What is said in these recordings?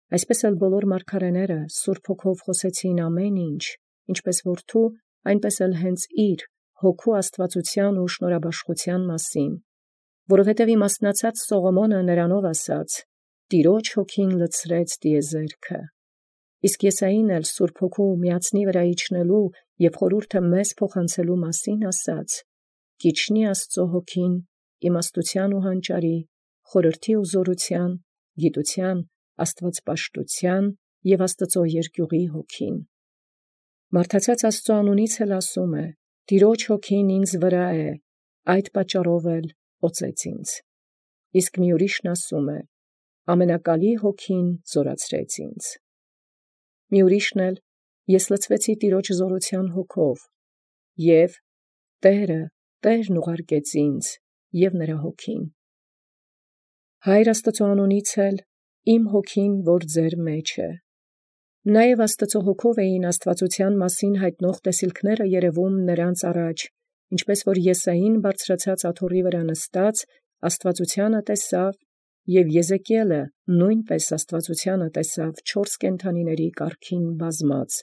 Այսպես էլ բոլոր մարգարեները Սուրբ Հոգով խոսեցին ամեն ինչ, ինչպես որդու, այնպես էլ հենց իր հոգու աստվածության ու շնորհաբաշխության մասին, որովհետև իմաստնացած Սողոմոնը նրանով ասաց. «Տիրոջ հոգին լցրեց տիեզերքը», իսկ Եսային էլ Սուրբ Հոգու միածնի վրա իջնելու և խորհուրդը մեզ փոխանցելու մասին ասաց. «Կիջնի Աստծո հոգին, իմաստության ու հանճարի, խորհրդի ու զորության, գիտության, աստվածպաշտության և Աստծո երկյուղի հոգին»։ Մարդացած Աստծո անունից էլ ասում է. «Տիրոջ հոգին ինձ վրա է, այդ պատճառով էլ օծեց ինձ»։ Իսկ մի ուրիշն ասում է. «Ամենակալի հոգին զորացրեց ինձ»։ Մի ուրիշն էլ. «Ես լցվեցի Տիրոջ զորության հոգով, և Տերն ուղարկեց ինձ և նրա հոգին»։ Հայր Աստծո անունից էլ. «Իմ հոգին, որ ձեր մեջ է»։ Նաև Աստծո հոգով էին աստվածության մասին հայտնող տեսիլքները երևում նրանց առաջ, ինչպես որ Եսային բարձրացած աթոռի վրա նստած աստվածությանը տեսավ, և Եզեկիելը նույնպես աստվածությանը տեսավ 4 կենդանիների կարգին բազմած,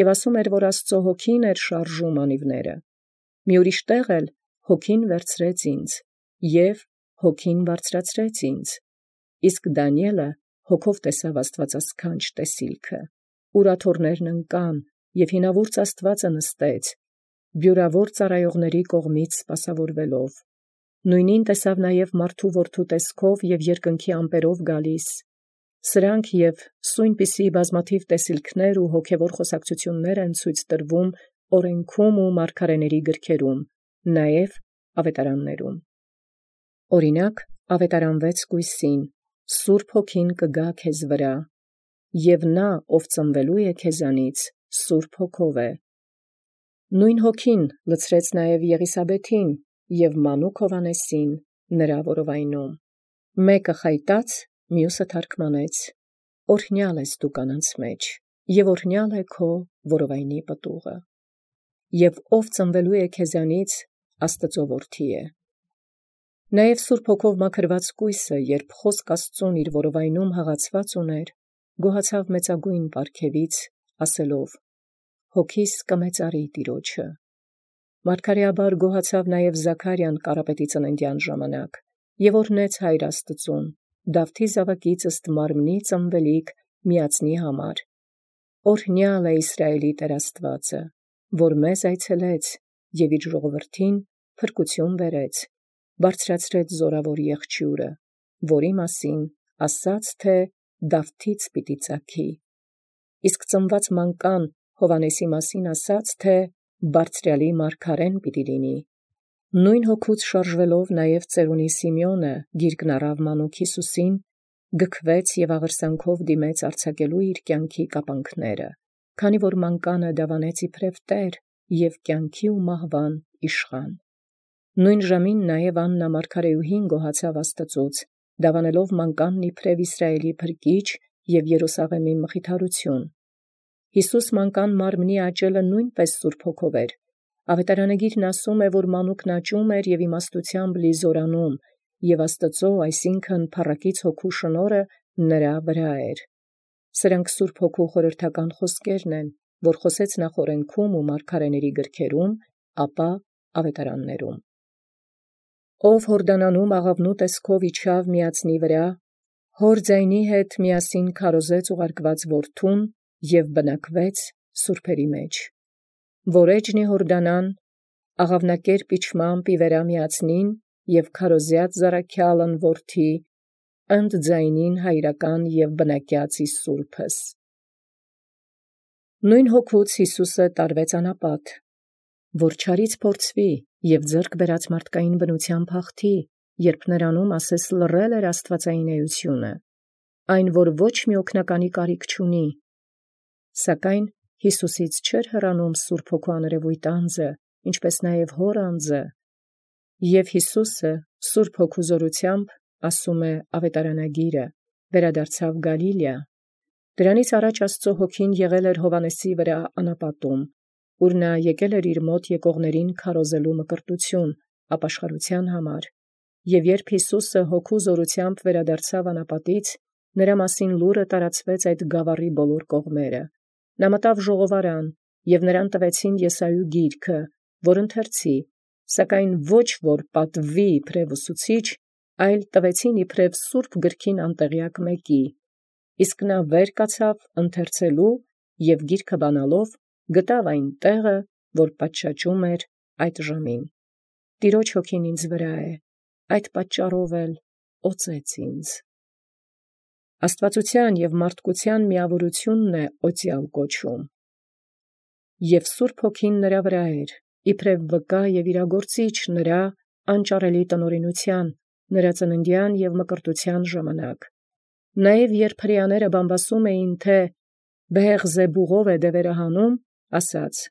և ասում էր, որ Աստծո հոգին էր շարժում անիվները։ Մի ուրիշ տեղ էլ հոգին վերցրեց ինձ, և հոգին բարձրացրեց ինձ։ Իսկ Դանիէլը հոգով տեսավ աստվածասքանչ տեսիլքը, ուր աթոռներն ընկան, և հինավուրց Աստվածը նստեց, բյուրավոր ծառայողների կողմից սպասավորվելով։ Նույնին տեսավ նաև մարդու որդու տեսքով և երկնքի ամպերով գալիս։ Սրանք և սույնպիսի բազմաթիվ տեսիլքներ ու հոգևոր խոսակցություններ են ցույց տրվում օրենքում ու մարգարեների գրքերում, նաև ավետարաններում։ Օրինակ, ավետարան 6 Սուրբ Հոգին կգա քեզ վրա, և նա, ով ծնվելու է քեզանից, Սուրբ Հոգով է։ Նույն Հոգին լցրեց նաև Եղիսաբեթին և մանուկ Հովհաննեսին նրա որովայնում։ Մեկը խայտած, մյուսը թարգմանեց. «Օրհնյալ ես դու կանանց մեջ, և օրհնյալ է քո որովայնի պտուղը, և ով ծնվելու է քեզանից, Աստծո որդի է»։ Նաև Սուրբ Հոգով մաքրված կույսը, երբ խոսք Աստծուն իր որովայնում հղացված ուներ, գոհացավ մեծագույն պարգևից, ասելով. «Հոգիս կմեծարի Տիրոջը»։ Մարգարեաբար գոհացավ նաև Զաքարիան Կարապետի ծննդյան ժամանակ, և օրհնեց Հայր Աստծուն, Դավթի զավակից ըստ մարմնի ծնվելիք միածնի համար. «Օրհնյալ է Իսրայելի Տեր Աստվածը, որ մեզ այցելեց և իր ժողովրդին փրկություն բերեց, բարձրացրեց զորավոր եղջյուրը, որի մասին ասաց, թե Դավթից պիտի ծագի, իսկ ծնված մանկան Հովհաննեսի մասին ասաց, թե Բարձրյալի մարգարեն պիտի լինի»։ Նույն հոգուց շարժվելով նաև ծերունի Սիմեոնը գիրկն առավ մանուկ Հիսուսին, գքվեց և աղերսանքով դիմեց արձակելու իր կյանքի կապանքները, քանի որ մանկանը դավանեց իբրև Տեր և կյանքի ու մահվան իշխան։ Նույն ժամին նաև Աննա մարգարեուհին գոհացավ Աստծուց, դավանելով մանկանն իբրև Իսրայելի փրկիչ և Երուսաղեմի մխիթարություն։ Յիսուս մանկան մարմնի աճելը նույնպես Սուրբ Հոգով էր։ Ավետարանագիրն ասում է, որ մանուկն աճում էր և իմաստությամբ լի զորանում, և Աստծո, այսինքն փառակից Հոգու շնորհը նրա վրա էր։ Սրանք Սուրբ Հոգու խորհրդական խոսքերն են, որ խոսեց նախ օրենքում ու մարգարեների գրքերում, ապա ավետարաններում։ Ով Հորդանանում աղավնու տեսքով իջավ միածնի վրա, հոր ձայնի հետ միասին քարոզեց ուղարկված որդուն և բնակվեց սուրբերի մեջ։ Որ էջնի Հորդանան, աղավնակերպ իջմամբ ի վերա միածնին և քարոզյաց զառաքյալն որդի, ընդ ձայնին հայրական և բնակյաց ի սուրբս։ Նույն հոգուց Հիսուսը տարվեց անապատ, որ չարից փորձվի և ձեռք բերած մարդկային բնությամբ հաղթի, երբ նրանում ասես լռել էր աստվածային էությունը, այն որ ոչ մի օգնականի կարիք չունի, սակայն Հիսուսից չէր հեռանում Սուրբ Հոգու աներևույթ անձը, ինչպես նաև հոր անձը, և Հիսուսը Սուրբ Հոգու զորությամբ, ասում է ավետարանագիրը, վերադարձավ Գալիլեա։ Դրանից առաջ Աստծո Հոգին եղել էր Հովհաննեսի վրա անապատում, ուր նա եկել էր իր մոտ եկողներին քարոզելու մկրտություն ապաշխարության համար, և երբ Հիսուսը Հոգու զորությամբ վերադարձավ անապատից, Նրա մասին լուրը տարածվեց այդ գավառի բոլոր կողմերը։ Նա մտավ ժողովարան, և նրան տվեցին Եսայու գիրքը, որ ընթերցի, սակայն ոչ որ պատվի իբրև ուսուցիչ, այլ տվեցին իբրև սուրբ գրքին անտեղյակ մեկի։ Իսկ նա վեր կացավ ընթերցելու և գիրքը բանալով գտավ այն տեղը, որ պատշաճում էր այդ ժամին։ Տիրոջ հոգին ինձ վրա է, այդ պատճառով էլ օծեց ինձ։ Աստվածության և մարդկության միավորությունն է օծյալ կոչում։ Եվ Սուրբ Հոգին նրա վրա էր, իբրև վկա և իրագործիչ նրա անճարելի տնօրինության, նրա ծննդյան և մկրտության ժամանակ։ Նաև երբ հրեաները բամբասում էին, թե Բեեղզեբուղով է դևերը հանում, ասաց.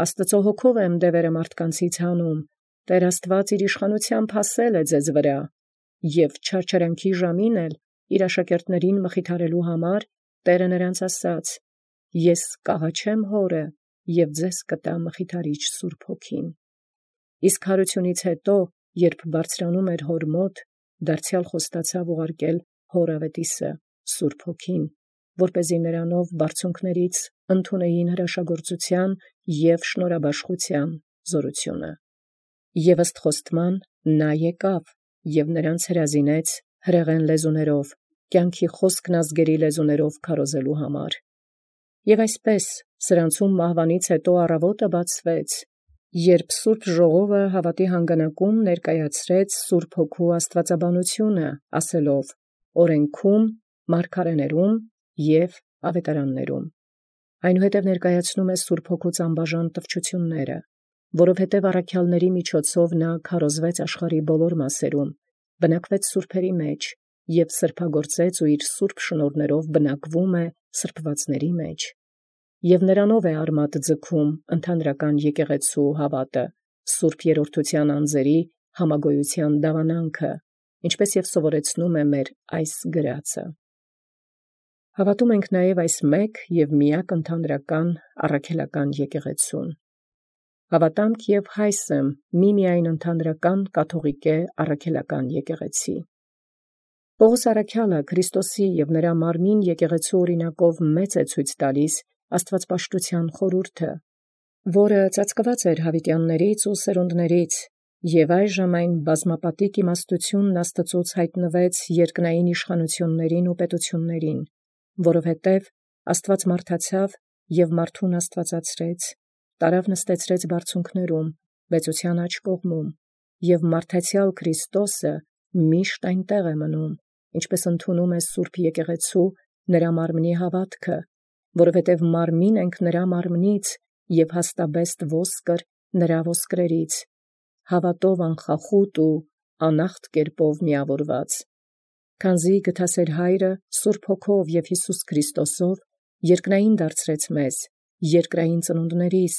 Աստծո հոգով եմ դևերը մարդկանցից հանում, Տեր Աստված իր իշխանությամբ հասել է ձեզ վրա, և չարչարանքի ժամին էլ իր աշակերտներին մխիթարելու համար Տերը նրանց ասաց. Ես կաղաչեմ հորը և ձեզ կտա մխիթարիչ Սուրբ Հոգին։ Իսկ հարությունից հետո, երբ բարձրանում էր հոր մոտ, դարձյալ խոստացավ ուղարկել հոր ավետիսը, Սուրբ Հոգին, որպեսզի նրանով բարձունքներից ընդունեին հրաշագործության և շնորհաբաշխության զորությունը։ Եվ ըստ խոստման նա եկավ և նրանց հրազինեց հրեղեն լեզուներով, կյանքի խոսքն ազգերի լեզուներով քարոզելու համար։ Եվ այսպես սրանցում մահվանից հետո առավոտը բացվեց, երբ Սուրբ Ժողովը հավատի հանգանակում ներկայացրեց Սուրբ Հոգու աստվածաբանությունը, ասելով. օրենքում, մարգարեներում և ավետարաններում։ Այնուհետև ներկայացնում է Սուրբ Հոգուց անբաժան տվչությունները, որովհետև առաքյալների միջոցով նա քարոզվեց աշխարհի բոլոր մասերում, բնակվեց սուրբերի մեջ և սրբագործեց ու իր սուրբ շնորհներով բնակվում է սրբվածների մեջ։ Եվ նրանով է արմատ ձգում ընդհանրական եկեղեցու հավատը, Սուրբ Երրորդության անձերի համագոյության դավանանքը, ինչպես և սովորեցնում է մեր այս գրածը։ Հավատում ենք նաև այս մեկ և միակ ընդհանրական առաքելական եկեղեցուն։ Հավատամք և հայս եմ միմիայն ընդհանրական կաթողիկե առաքելական եկեղեցի։ Պողոս առաքյալը Քրիստոսի և նրա մարմին եկեղեցու օրինակով մեծ է ցույց տալիս աստվածպաշտության խորհուրդը, որը ծածկված էր հավիտյաններից ու սերունդներից, և այժմ այն բազմապատիկ իմաստությունն Աստծուց հայտնվեց երկնային իշխանություններին ու պետություններին, որովհետև Աստված մարդացավ և մարդուն աստվածացրեց, տարավ նստեցրեց բարձունքներում, մեծության աջ կողմում, և մարդացյալ Քրիստոսը միշտ այնտեղ է մնում, ինչպես ընդունում է Սուրբ Եկեղեցու նրա մարմնի հավատքը, որովհետև մարմին ենք նրա մարմնից և հաստաբեստ ոսկր նրա ոսկրերից, հավատով անխախուտ ու անախտ կերպով միավորված։ Քանզի գթասեր Հայրը Սուրբ Հոգով և Հիսուս Քրիստոսով երկնային դարձրեց մեզ, երկրային ծնունդներիս,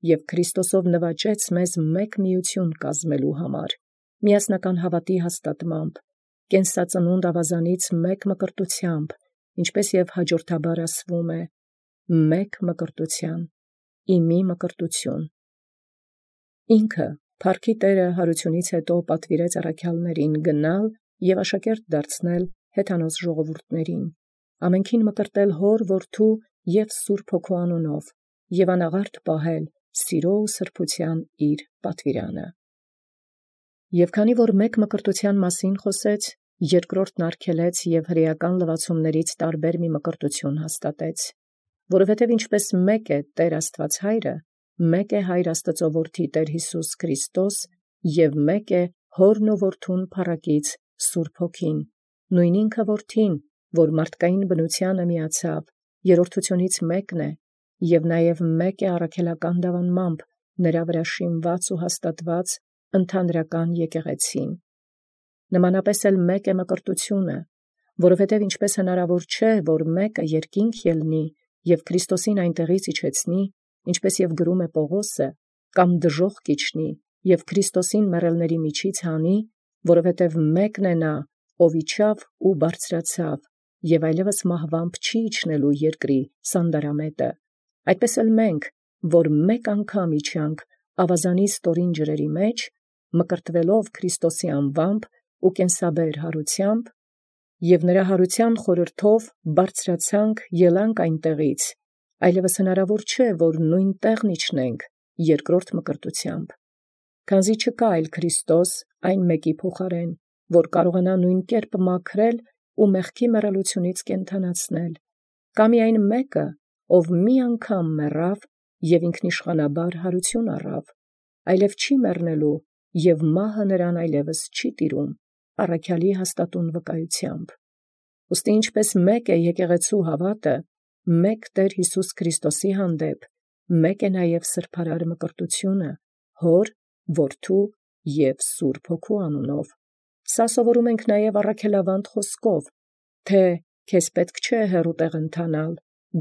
և Քրիստոսով նվաճեց մեզ մեկ միություն կազմելու համար, միասնական հավատի հաստատմամբ, կենսածնունդ ավազանից մեկ մկրտությամբ, ինչպես և հաջորդաբար ասվում է. մեկ մկրտության, իմի մկրտություն։ Ինքը Փառքի Տերը հարությունից հետո պատվիրեց առաքյալներին գնալ և աշակերտ դարձնել հեթանոս ժողովուրդներին, ամենքին մկրտել հոր, որդու և Սուրբ Հոգու անունով, և անաղարտ պահել սիրո ու սրբության իր պատվիրանը։ Եվ քանի որ մեկ մկրտության մասին խոսեց, երկրորդն արգելեց և հրեական լվացումներից տարբեր մի մկրտություն հաստատեց, որովհետև ինչպես մեկ է Տեր Աստված Հայրը, մեկ է Հայր Աստծո Որդի Տեր Հիսուս Քրիստոս և մեկ է Հորն ու Որդուն փառակից Սուրբ Հոգին, նույն ինքը Որդին, որ մարդկային բնությանը միացավ, երրորդությունից մեկն է, և նաև մեկ է առաքելական դավանմամբ նրա վրա շինված ու հաստատված ընդհանրական եկեղեցին։ Նմանապես էլ մեկ է մկրտությունը, որովհետև ինչպես հնարավոր չէ, որ մեկը երկինք ելնի և Քրիստոսին այնտեղից իջեցնի, ինչպես և գրում է Պողոսը, կամ դժոխք իջնի և Քրիստոսին մեռելների միջից հանի, որովհետև մեկն է նա, ով իջավ ու բարձրացավ, և այլևս մահվամբ չի իջնելու երկրի սանդարամետը, այդպես էլ մենք, որ մեկ անգամ իջանք ավազանի ստորին ջրերի մեջ, մկրտվելով Քրիստոսի անվամբ ու կենսաբեր հարությամբ, Եւ նրա հարության խորհրդով բարձրացանք ելանք այնտեղից, այլևս հնարավոր չէ, որ նույն տեղն իջնենք երկրորդ մկրտությամբ, քանզի չկա այլ Քրիստոս այն մեկի փոխարեն, որ կարողանա նույն կերպ մաքրել ու մեղքի մեռելությունից կենդանացնել, կամ միայն մեկը, ով մի անգամ մեռավ եւ ինքնիշխանաբար հարություն առավ, այլև չի մեռնելու եւ մահը նրան այլևս չի տիրում, առաքյալի հաստատուն վկայությամբ։ Ուստի ինչպես մեկ է եկեղեցու հավատը, մեկ Տեր Յիսուս Քրիստոսի հանդեպ, մեկ է նաև սրբարար մկրտությունը, Հոր, Որդու և Սուրբ Հոգու անունով։ Սա սովորում ենք նաև առաքելավանդ խոսքով, թե քեզ պետք չէ հեռու տեղ ընթանալ,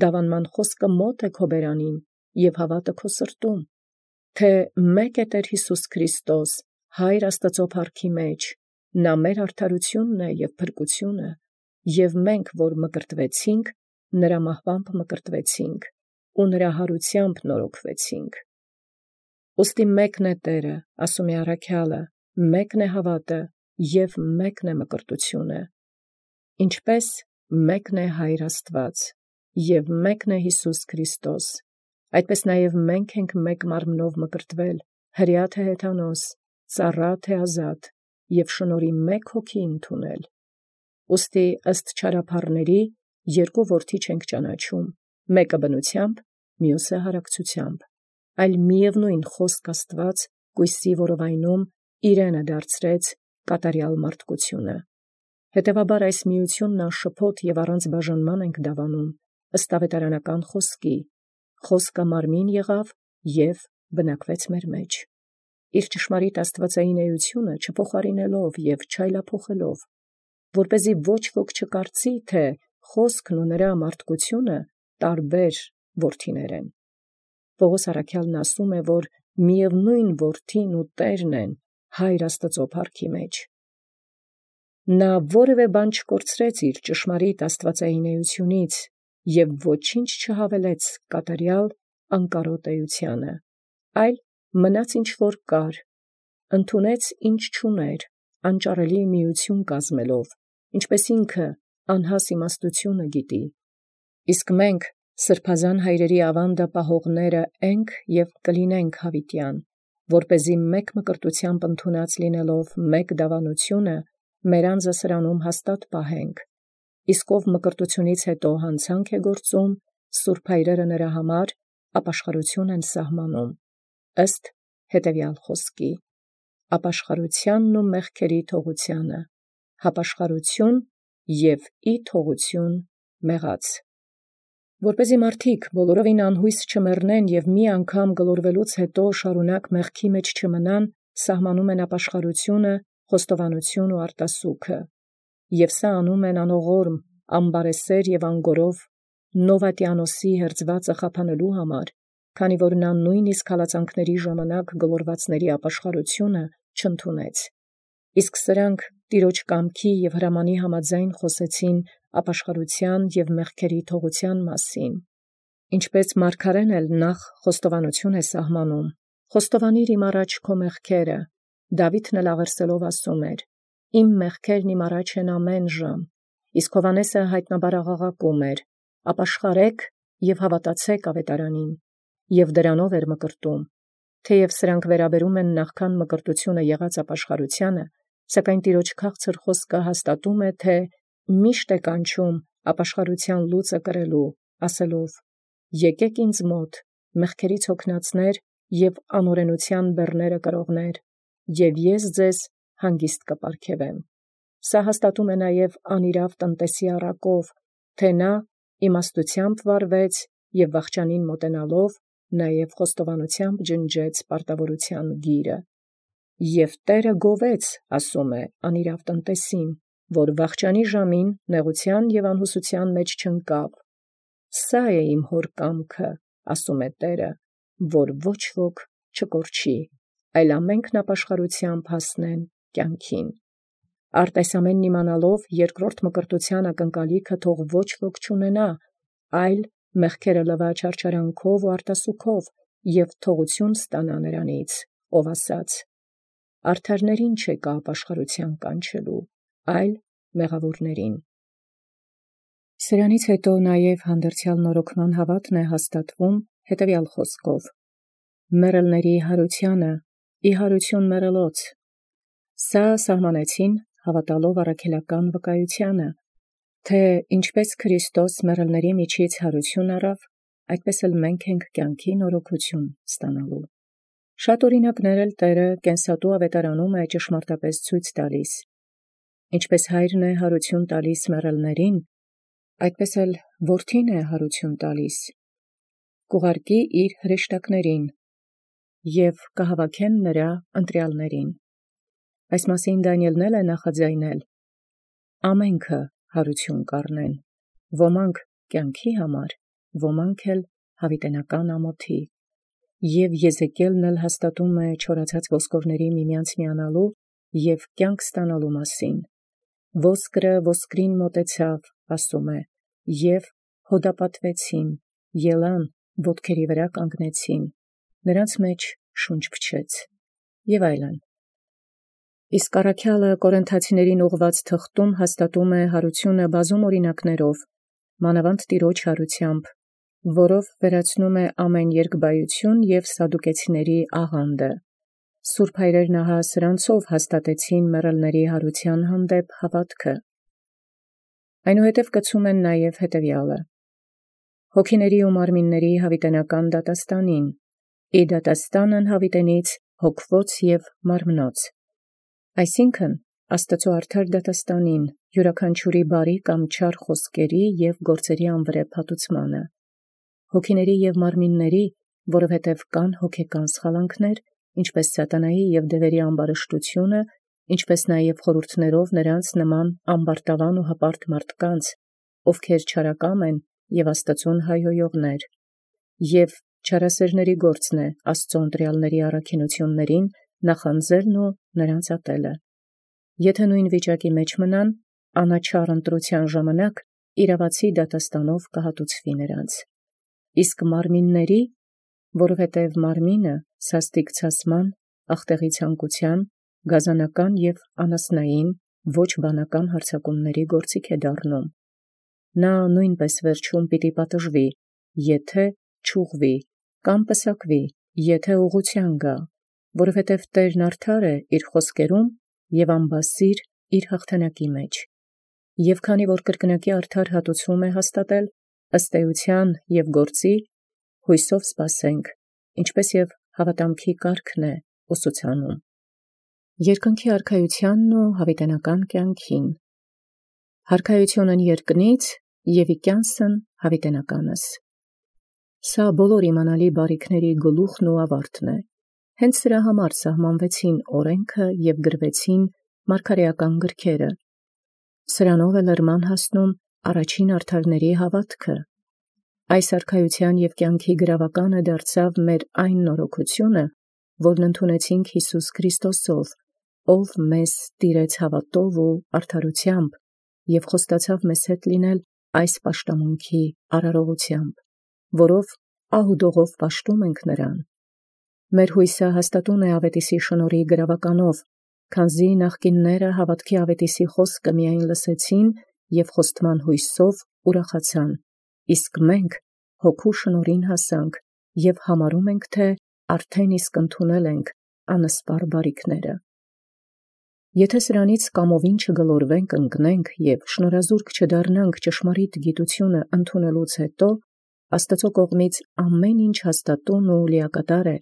դավանման խոսքը մոտ է քո բերանին և հավատը քո սրտում, թե մեկ է Տեր Յիսուս Քրիստոս, Հայր Աստծո փառքի մեջ, նա մեր արդարությունն է և փրկությունը, և մենք, որ մկրտվեցինք, նրա մահվամբ մկրտվեցինք, ու նրա հարությամբ նորոգվեցինք։ Ուստի մեկն է Տերը, ասում է առաքյալը, մեկն է հավատը և մեկն է մկրտությունը, ինչպես մեկն է Հայր Աստված, և մեկն է Յիսուս Քրիստոս, այդպես նաև մենք ենք մեկ մարմնով մկրտվել, հրյա թե հեթանոս, ծառա թե ազատ, և շնորհի մեկ հոգի ընդունել։ Ուստի ըստ չարափառների երկու որդի չենք ճանաչում, մեկը բնությամբ, մյուսը հարակցությամբ, այլ միևնույն խոսք Աստված կույսի որովայնում իրենը դարձրեց կատարյալ մարդկությունը։ Հետևաբար այս միությունն անշփոթ և առանց բաժանման ենք դավանում, ըստ ավետարանական խոսքի, խոսքը մարմին եղավ և բնակվեց մեր մեջ, իր ճշմարիտ աստվածային էությունը չփոխարինելով և չայլափոխելով, որպեսզի ոչ ոք չկարծի, թե խոսքն ու նրա մարդկությունը տարբեր որդիներ են։ Պողոս առաքյալն ասում է, որ միևնույն որդին ու Տերն են Հայր Աստծո փառքի մեջ։ Նա որևէ բան չկորցրեց իր ճշմարիտ աստվածային էությունից և ոչինչ չհավելեց կատարյալ անկարոտ էությանը, այլ մնաց ինչ որ կար, ընդունեց ինչ չուներ, անճարելի միություն կազմելով, ինչպես ինքը անհաս իմաստությունը գիտի։ Իսկ մենք սրբազան հայրերի ավանդը պահողները ենք և կլինենք հավիտյան, որպեսզի մեկ մկրտությամբ ընդունած լինելով մեկ դավանությունը, մեր անձը սրանում հաստատ պահենք, իսկ ով մկրտությունից հետո հանցանք է գործում, սուրբ հայրերը նրա համար ապաշխարություն են սահմանում, ըստ հետևյալ խոսքի. ապաշխարությանն ու մեղքերի թողությանը, հապաշխարություն և ի թողություն մեղաց։ Որպեսզի մարդիկ բոլորովին անհույս չմեռնեն և մի անգամ գլորվելուց հետո շարունակ մեղքի մեջ չմնան, սահմանում են ապաշխարությունը, խոստովանություն ու արտասուքը, և սա անում են անողորմ, ամբարեսեր և անգորով Նովատիանոսի հերձվածը խափանելու համար, քանի որ նա նույնիսկ հալածանքների ժամանակ գլորվածների ապաշխարությունը չընդունեց։ Իսկ սրանք Տիրոջ կամքի և հրամանի համաձայն խոսեցին ապաշխարության և մեղքերի թողության մասին, ինչպես մարգարեն էլ նախ խոստովանություն է սահմանում. «Խոստովանիր իմ առաջ քո մեղքերը», Դավիթն էլ աղերսելով ասում էր. «Իմ մեղքերն իմ առաջ են ամեն ժամ», իսկ Հովհաննեսը հայտնաբար աղաղակում էր. «Ապաշխարեք և հավատացեք ավետարանին», և դրանով էր մկրտում, թեև սրանք վերաբերում են նախքան մկրտությունը եղած ապաշխարությանը, սակայն Տիրոջ քաղցր խոսքը հաստատում է, թե միշտ է կանչում ապաշխարության լուծը կրելու, ասելով. «Եկեք ինձ մոտ, մեղքերից հոգնածներ և անօրենության բեռները կրողներ, և ես ձեզ հանգիստ կպարգևեմ»։ Սա հաստատում է նաև անիրավ տնտեսի առակով, թե նա իմաստությամբ վարվեց և վախճանին մոտենալով նաև խոստովանությամբ ջնջեց պարտավորության գիրը։ Եվ Տերը գովեց, ասում է, անիրավ տնտեսին, որ վախճանի ժամին նեղության և անհուսության մեջ չընկավ։ Սա է իմ Հոր կամքը, ասում է Տերը, որ ոչ ոք չկորչի, այլ ամենքն ապաշխարությամբ հասնեն կյանքին։ Արդ այս ամենն իմանալով երկրորդ մկրտության ակնկալիքը թող ոչ ոք չունենա, այլ մեղքերը լվա չարչարանքով ու արտասուքով և թողություն ստանա նրանից, ով ասաց. «Արդարներին չեկա ապաշխարության կանչելու, այլ մեղավորներին»։ Սրանից հետո նաև հանդերձյալ նորոգման հաւատն է հաստատվում հետևյալ խոսքով. «Մեռելների յարութեանը ի յարութիւն մեռելոց». Սա սահմանեցին հաւատալով առաքելական վկայութեանը, թէ ինչպէս Քրիստոս մեռելների միջից յարութիւն առաւ, այդպէս էլ մենք ենք կյանքի նորոգութիւն ստանալու։ Շատ օրինակներ էլ Տէրը կենսատու ավետարանում է ճշմարտապես ցույց տալիս. ինչպէս հայրն է յարութիւն տալիս մեռելներին, այդպէս էլ որդին է յարութիւն տալիս, կուղարկի իր հրեշտակներին և կհավաքեն նրա ընտրյալներին։ Այս մասին Դանիէլն է նախաձայնել. ամենքը յարութիւն կառնեն, ոմանք կյանքի համար, ոմանք էլ յաւիտենական ամոթի։ Եւ Եզեկիելն էլ հաստատում է չորացած ոսկորների միմյանց միանալու և կյանք ստանալու մասին. «Ոսկրը ոսկրին մոտեցավ, ասում է, և հոդապատվեցին, ելան, ոտքերի վրա կանգնեցին, նրանց մեջ շունչ փչեց» և այլն։ Իսկ առաքյալը Կորինթացիներին ուղղված թղթում հաստատում է յարութիւնը բազում օրինակներով, մանավանդ Տեառն յարութեամբ, որով վերացնում է ամեն երկբայութիւն և սադուկեցիների աղանդը։ Սուրբ հայրերն ահա սրանցով հաստատեցին մեռելների յարութեան հանդեպ հաւատքը։ Այնուհետև կցում են նաև հետևյալը. հոգիների ու մարմինների յաւիտենական դատաստանին, ի դատաստանն յաւիտենից հոգվոց և մարմնոց, այսինքն Աստուծոյ արդար դատաստանին, յուրաքանչյուրի բարի կամ չար խոսքերի և գործերի անվրեպ հատուցմանը, հոգիների և մարմինների, որովհետև կան հոգեկան սխալանքներ, ինչպէս սատանայի և դևերի ամբարշտությունը, ինչպէս նաև խորհուրդներով նրանց նման ամբարտավան ու հպարտ մարդկանց, ովքեր չարակամ են և Աստուծուն հայհոյողներ, և չարասերների գործն է Աստուծոյ ընտրյալների առաքինութիւնացն նախանձելն ու նրանց ատելը։ Եթէ նոյն վիճակի մեջ մնան, անաչառ ընտրութեան ժամանակ իրաւացի դատաստանով կհատուցվի նրանց։ Իսկ մարմինների, որովհետև մարմինը սաստիկ ցասման, ախտեղի ցանկութեան, գազանական և անասնային, ոչ բանական հարձակումների գործիք է դառնում։ Նա նոյնպէս վերջում պիտի պատժվի, եթէ չուղղվի, կամ պսակվի, եթէ ուղղութեան գայ, որովհետև Տէրն արդար է իր խոսքերում և անբասիր իր հաղթանակի մեջ։ Եւ քանի որ կրկնակի արդար հատուցում է հաստատել, ըստ էության և գործի, հույսով սպասենք, ինչպէս և հաւատամքի կարգն է ուսուցանում։ Երկնքի արքայութեանն ու յաւիտենական կյանքին. Յարքայութիւնն երկնից և իկյանսն յաւիտենականս։ Սա բոլոր իմանալի բարիքների գլուխն ու աւարտն է։ Հենց սրա համար սահմանվեցին օրենքը և գրվեցին մարգարէական գրքերը։ Սրանով է լրման հասնում առաջին արդարների հաւատքը։ Այս արքայութեան և կյանքի գրաւականը դարձավ մեր այն նորոգութիւնը, որն ընդունեցինք Յիսուս Քրիստոսով, ով մեզ տիրեց հաւատով ու արդարութեամբ և խոստացավ մեզ հետ լինել այս պաշտամունքի արարողութեամբ, որով ահ ու դողով պաշտում ենք նրան։ Մեր հույսը հաստատուն է աւետիսի շնորհի գրաւականով, քանզի նախկինները հաւատքի աւետիսի խոսքը միայն լսեցին և խոստման հույսով ուրախացան, իսկ մենք հոգու շնորհին հասանք և համարում ենք, թէ արդեն իսկ ընդունել ենք անսպար բարիքները։ Եթէ սրանից կամովին չգլորվենք ընկնենք և շնորհազուրկ չդառնանք ճշմարիտ գիտութիւնը ընդունելուց հետո, Աստուծոյ կողմից ամեն ինչ հաստատուն ու լիակատար է,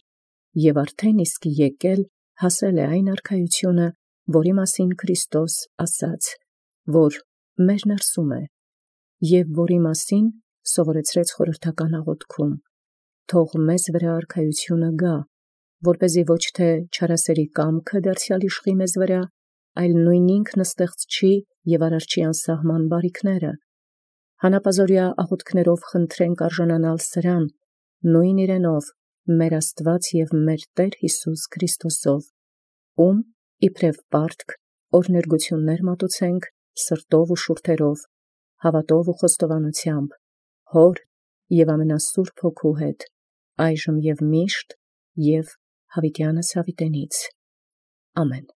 և արդեն իսկ եկել հասել է այն արքայութիւնը, որի մասին Քրիստոս ասաց, որ մեր ներսում է, և որի մասին սովորեցրեց խորհրդական աղոթքում. թող մեզ վրա արքայութիւնը գա, որպեսզի ոչ թէ չարասերի կամքը դարձեալ իշխի մեզ վրա, այլ նոյն ինքն ստեղծչի և արարչի անսահման բարիքները։ Հանապազօրյա աղոթքներով խնդրենք արժանանալ սրան, նոյն իրենով, մեր Աստուած և մեր Տէր Յիսուս Քրիստոսով, ում իբրև պարտք օրհներգություններ մատուցենք սրտով ու շուրթերով, հաւատով ու խոստովանութեամբ, Հոր և ամենասուրբ Հոգու հետ, այժմ և միշտ և յաւիտյանս յաւիտենից։ Ամեն։